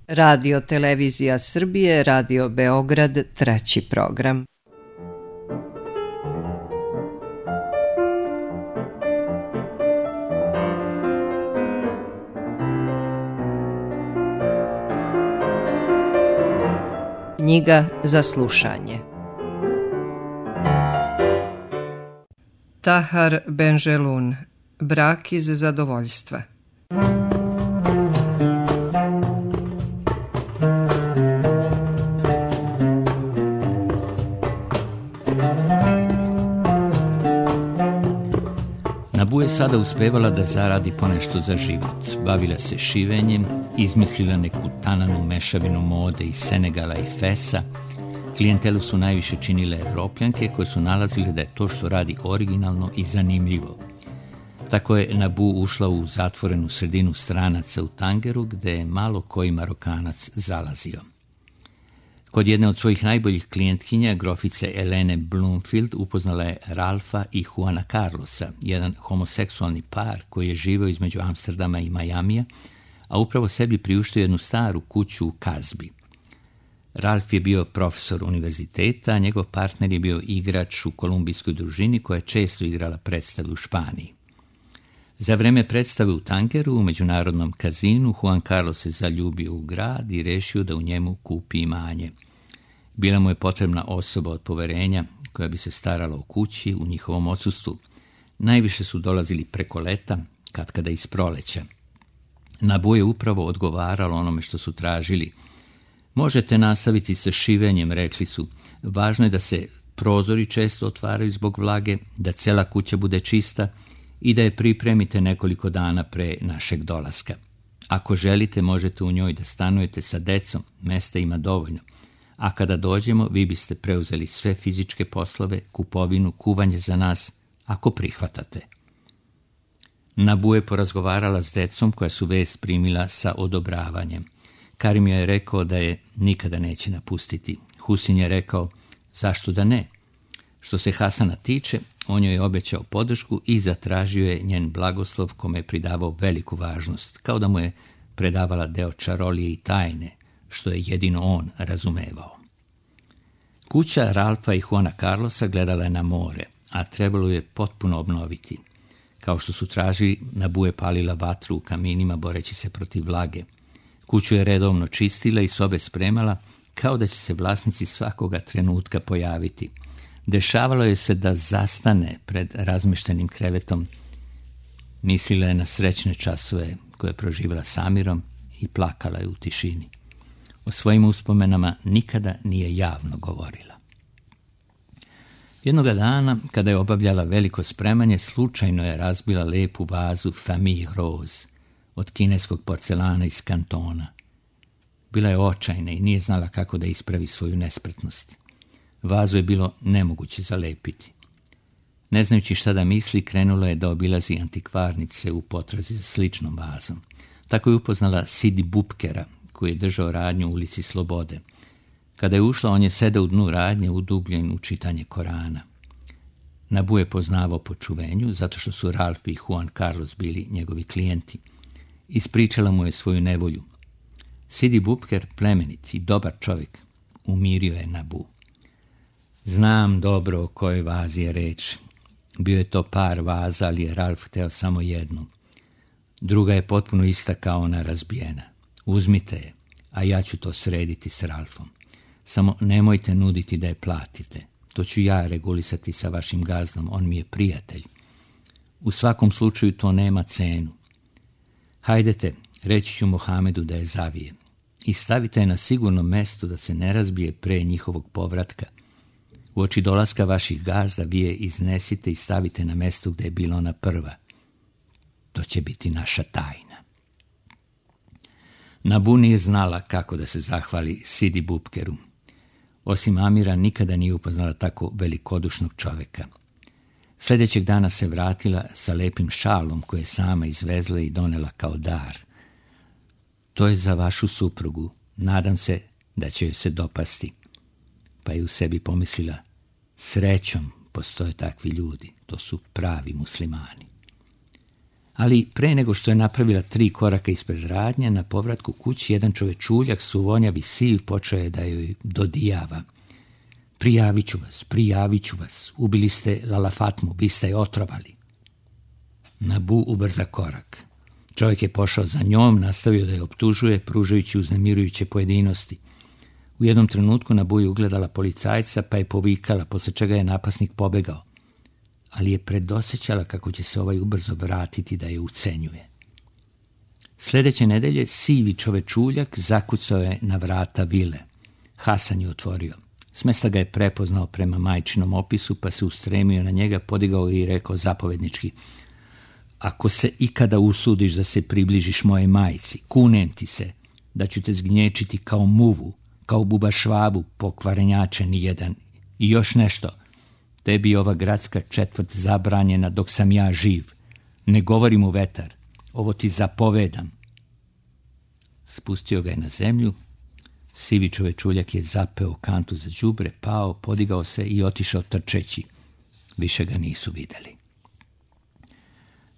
Radio Televizija Srbije, Radio Beograd, 3. program. Knjiga za slušanje. Tahar Benjelun, Brak iz zadovoljstva. Nabu je sada uspevala da zaradi ponešto za život. Bavila se šivenjem, izmislila neku tananu mešavinu mode iz Senegala i Fesa. Klijentelu su najviše činile Evropljanke koje su nalazile da je to što radi originalno i zanimljivo. Tako je Nabu ušla u zatvorenu sredinu stranaca u Tangeru gde je malo koji Marokanac zalazio. Kod jedne od svojih najboljih klijentkinja, grofice Elene Bloomfield, upoznala je Ralfa i Juana Carlosa, jedan homoseksualni par koji je živeo između Amsterdama i Majamija, a upravo sebi priuštio jednu staru kuću u Kazbi. Ralf je bio profesor univerziteta, a njegov partner je bio igrač u kolumbijskoj družini koja je često igrala predstave u Španiji. Za vreme predstave u Tangeru, u međunarodnom kazinu, Juan Carlos se zaljubio u grad i rešio da u njemu kupi imanje. Bila mu je potrebna osoba od poverenja koja bi se starala o kući u njihovom odsustvu. Najviše su dolazili preko leta, katkada iz proleća. Nabu je upravo odgovaralo onome što su tražili. Možete nastaviti sa šivenjem, rekli su. Važno je da se prozori često otvaraju zbog vlage, da cela kuća bude čista i da je pripremite nekoliko dana pre našeg dolaska. Ako želite, možete u njoj da stanujete sa decom, mesta ima dovoljno. A kada dođemo, vi biste preuzeli sve fizičke poslove, kupovinu, kuvanje za nas, ako prihvatate. Nabu je porazgovarala s decom koja su vest primila sa odobravanjem. Karim je rekao da je nikada neće napustiti. Husin je rekao, zašto da ne? Što se Hasana tiče, on joj je obećao podršku i zatražio je njen blagoslov kome je pridavao veliku važnost, kao da mu je predavala deo čarolije i tajne, što je jedino on razumevao. Kuća Ralfa i Juana Carlosa gledala je na more, a trebalo je potpuno obnoviti. Kao što su tražili, Nabu je palila vatru u kaminima boreći se protiv vlage. Kuću je redovno čistila i sobe spremala, kao da će se vlasnici svakoga trenutka pojaviti. Dešavalo je se da zastane pred razmeštenim krevetom. Mislila je na srećne časove koje je proživjela s Amirom i plakala je u tišini. O svojim uspomenama nikada nije javno govorila. Jednoga dana, kada je obavljala veliko spremanje, slučajno je razbila lepu vazu Famille Rose od kineskog porcelana iz Kantona. Bila je očajna i nije znala kako da ispravi svoju nespretnost. Vazu je bilo nemoguće zalepiti. Ne znajući šta da misli, krenula je da obilazi antikvarnice u potrazi za sličnom vazom. Tako je upoznala Sidi Bupkera, koji je držao radnju u ulici Slobode. Kada je ušla, on je sedao u dnu radnje, udubljen u čitanje Korana. Nabu je poznavao po čuvenju, zato što su Ralf i Juan Carlos bili njegovi klijenti. Ispričala mu je svoju nevolju. Sidi Bupker, plemenit i dobar čovjek, umirio je Nabu. Znam dobro o kojoj vazi je reč. Bio je to par vaza, ali je Ralf hteo samo jednu. Druga je potpuno ista kao ona razbijena. Uzmite je, a ja ću to srediti s Ralfom. Samo nemojte nuditi da je platite. To ću ja regulisati sa vašim gazdom, on mi je prijatelj. U svakom slučaju to nema cenu. Hajdete, reći ću Mohamedu da je zavije. I stavite je na sigurno mesto da se ne razbije pre njihovog povratka. Uoči dolaska vaših gazda vi je iznesite i stavite na mesto gde je bila ona prva. To će biti naša tajna. Nabu nije znala kako da se zahvali Sidi Bupkeru. Osim Amira nikada nije upoznala tako velikodušnog čoveka. Sljedećeg dana se vratila sa lepim šalom koje je sama izvezla i donela kao dar. To je za vašu suprugu. Nadam se da će joj se dopasti. Pa je u sebi pomislila, srećom postoje takvi ljudi. To su pravi muslimani. Ali pre nego što je napravila 3 koraka ispred radnje, na povratku kući jedan čovečuljak suvonjavi siv počeo je da joj dodijava. Prijavit ću vas, ubili ste Lala Fatmu, vi ste je otrovali. Nabu ubrza korak. Čovjek je pošao za njom, nastavio da je optužuje, pružajući uznemirujuće pojedinosti. U jednom trenutku Nabu je ugledala policajca, pa je povikala, posle čega je napasnik pobegao. Ali je predosećala kako će se ovaj ubrzo vratiti da je ucenjuje. Sljedeće nedelje sivi čovečuljak zakucao je na vrata vile. Hasan je otvorio. Smesta ga je prepoznao prema majčinom opisu, pa se ustremio na njega, podigao i rekao zapovednički: ako se ikada usudiš da se približiš moje majci, kunem ti se da ću te zgnječiti kao muvu, kao bubašvabu, pokvarenjače nijedan. I još nešto, tebi ova gradska četvrt zabranjena dok sam ja živ. Ne govorim u vetar, ovo ti zapovedam. Spustio ga je na zemlju, sivi čovečuljak je zapeo kantu za đubre, pao, podigao se i otišao trčeći. Više ga nisu vidjeli.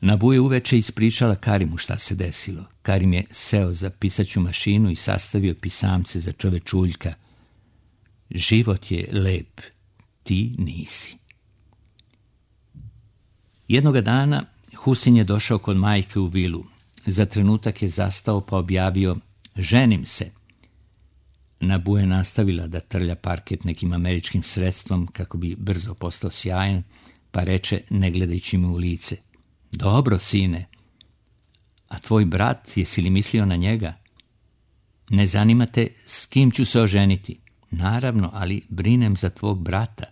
Nabu je uveče ispričala Karimu šta se desilo. Karim je seo za pisaću mašinu i sastavio pisamce za čovečuljka. Život je lep, ti nisi. Jednoga dana Husin je došao kod majke u vilu. Za trenutak je zastao pa objavio: ženim se. Nabu je nastavila da trlja parket nekim američkim sredstvom kako bi brzo postao sjajan, pa reče, ne gledajući mu u lice: dobro, sine. A tvoj brat, jesi li mislio na njega? Ne zanima te s kim ću se oženiti? Naravno, ali brinem za tvog brata.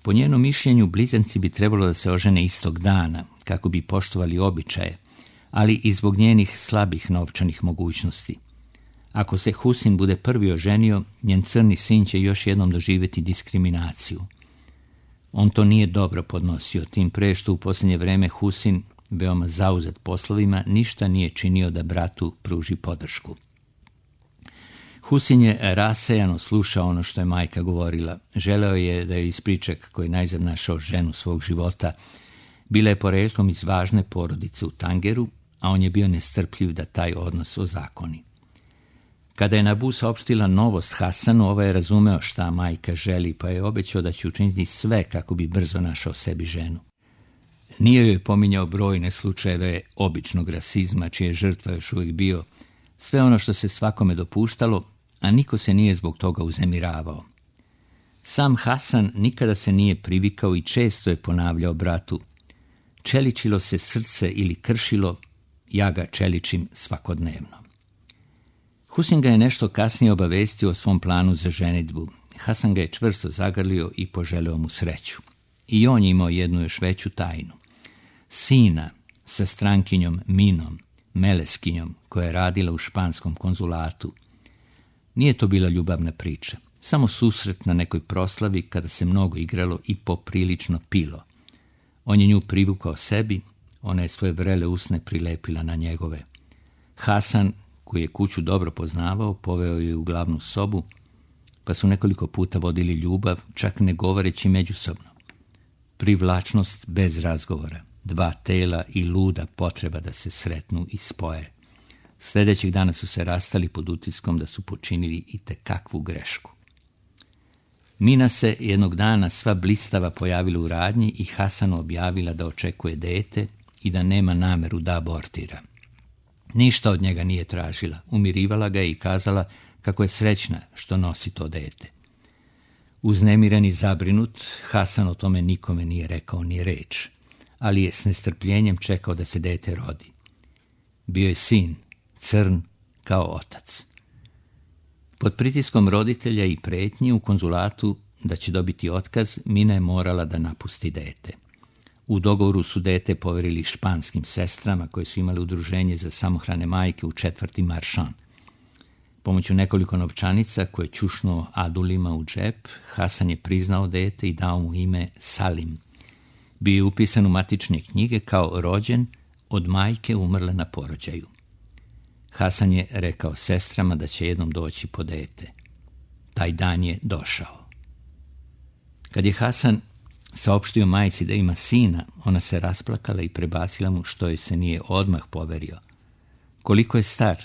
Po njenom mišljenju, blizanci bi trebalo da se ožene istog dana, kako bi poštovali običaje, ali i zbog njenih slabih novčanih mogućnosti. Ako se Husin bude prvi oženio, njen crni sin će još jednom doživjeti diskriminaciju. On to nije dobro podnosio, tim pre što u posljednje vreme Husin, veoma zauzet poslovima, ništa nije činio da bratu pruži podršku. Husin je rasejano slušao ono što je majka govorila. Želeo je da joj ispriča kako je najzad našao ženu svog života. Bila je poreklom iz važne porodice u Tangeru, a on je bio nestrpljiv da taj odnos ozakoni. Kada je Nabu saopštila novost Hasanu, ovaj je razumeo šta majka želi, pa je obećao da će učiniti sve kako bi brzo našao sebi ženu. Nije joj pominjao brojne slučajeve običnog rasizma, čije žrtva još uvijek bio, sve ono što se svakome dopuštalo, a niko se nije zbog toga uznemiravao. Sam Hasan nikada se nije privikao i često je ponavljao bratu: čeličilo se srce ili kršilo, ja ga čeličim svakodnevno. Husin ga je nešto kasnije obavestio o svom planu za ženidbu. Hasan ga je čvrsto zagrlio i poželeo mu sreću. I on je imao jednu još veću tajnu. Sina sa strankinjom Minom, Meleskinjom, koja je radila u španskom konzulatu. Nije to bila ljubavna priča, samo susret na nekoj proslavi kada se mnogo igralo i poprilično pilo. On je nju privukao sebi, ona je svoje vrele usne prilepila na njegove. Hasan, koji je kuću dobro poznavao, poveo je u glavnu sobu, pa su nekoliko puta vodili ljubav, čak ne govoreći međusobno. Privlačnost bez razgovora, 2 tela i luda potreba da se sretnu i spoje. Sljedećeg dana su se rastali pod utiskom da su počinili itekakvu grešku. Mina se jednog dana sva blistava pojavila u radnji i Hasanu objavila da očekuje dete i da nema nameru da abortira. Ništa od njega nije tražila, umirivala ga je i kazala kako je srećna što nosi to dete. Uznemiren i zabrinut, Hasan o tome nikome nije rekao ni reč, ali je s nestrpljenjem čekao da se dete rodi. Bio je sin, crn kao otac. Pod pritiskom roditelja i pretnji u konzulatu da će dobiti otkaz, Mina je morala da napusti dete. U dogovoru su dete poverili španskim sestrama koje su imale udruženje za samohrane majke u četvrti Maršan. Pomoću nekoliko novčanica koje je čušnuo adulima u džep, Hasan je priznao dete i dao mu ime Salim. Bio je upisan u matične knjige kao rođen od majke umrle na porođaju. Hasan je rekao sestrama da će jednom doći po dete. Taj dan je došao. Kad je Hasan saopštio majci da ima sina, ona se rasplakala i prebacila mu što joj se nije odmah poverio. Koliko je star? 1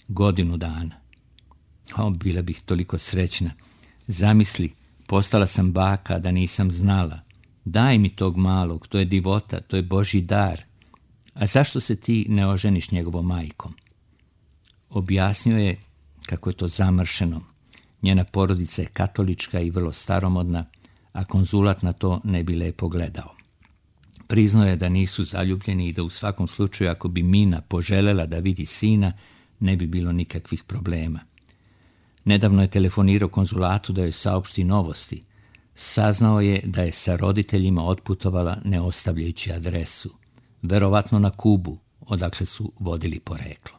godinu dana. Bila bih toliko srećna. Zamisli, postala sam baka da nisam znala. Daj mi tog malog, to je divota, to je Božji dar. A zašto se ti ne oženiš njegovom majkom? Objasnio je kako je to zamršeno. Njena porodica je katolička i vrlo staromodna, a konzulat na to ne bi lepo gledao. Priznao je da nisu zaljubljeni i da u svakom slučaju ako bi Mina poželela da vidi sina, ne bi bilo nikakvih problema. Nedavno je telefonirao konzulatu da joj saopšti novosti. Saznao je da je sa roditeljima otputovala ne ostavljajući adresu, verovatno na Kubu, odakle su vodili poreklo.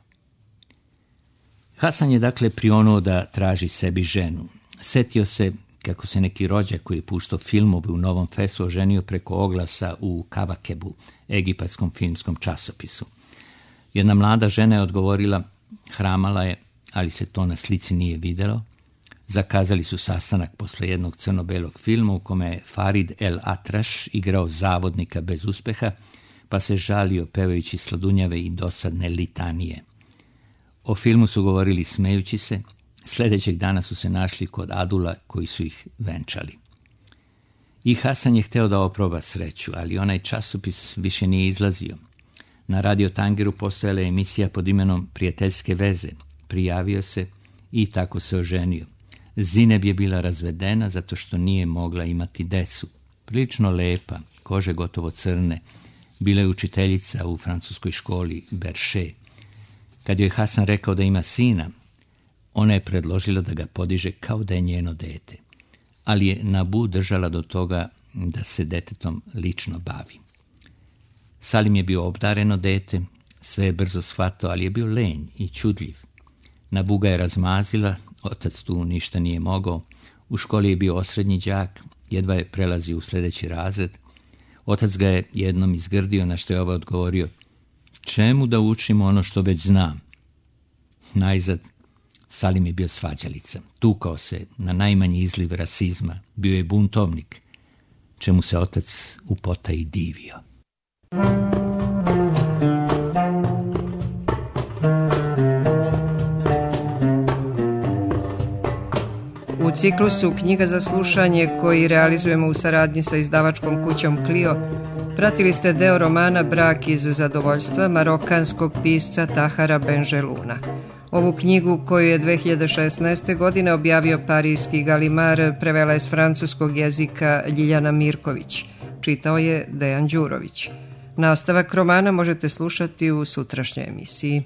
Hasan je dakle prionuo da traži sebi ženu. Setio se kako se neki rođak koji je puštao filmove u Novom Fesu oženio preko oglasa u Kavakebu, egipatskom filmskom časopisu. Jedna mlada žena je odgovorila, hramala je, ali se to na slici nije videlo. Zakazali su sastanak posle jednog crno-belog filma u kome je Farid El Atraš igrao zavodnika bez uspeha, pa se žalio pevajući sladunjave i dosadne litanije. O filmu su govorili smejući se, sljedećeg dana su se našli kod Adula koji su ih venčali. I Hasan je hteo da oproba sreću, ali onaj časopis više nije izlazio. Na Radio Tangeru postojala je emisija pod imenom Prijateljske veze. Prijavio se i tako se oženio. Zineb je bila razvedena zato što nije mogla imati decu. Prilično lepa, kože gotovo crne. Bila je učiteljica u francuskoj školi Berše. Kad joj Hasan rekao da ima sina, ona je predložila da ga podiže kao da je njeno dete. Ali je Nabu držala do toga da se detetom lično bavi. Salim je bio obdareno dete, sve je brzo shvatao, ali je bio lenj i čudljiv. Nabu ga je razmazila, otac tu ništa nije mogao. U školi je bio osrednji đak, jedva je prelazio u sljedeći razred. Otac ga je jednom izgrdio, na što je ovaj odgovorio, čemu da učimo ono što već znam? Najzad, Salim je bio svađalica. Tukao se na najmanji izliv rasizma. Bio je buntovnik, čemu se otac u potaji divio. U ciklusu Knjiga za slušanje koji realizujemo u saradnji sa izdavačkom kućom Clio, pratili ste deo romana Brak iz zadovoljstva marokanskog pisca Tahara Benjeluna. Ovu knjigu koju je 2016. godine objavio parijski Galimar prevela je s francuskog jezika Ljiljana Mirković. Čitao je Dejan Đurović. Nastavak romana možete slušati u sutrašnjoj emisiji.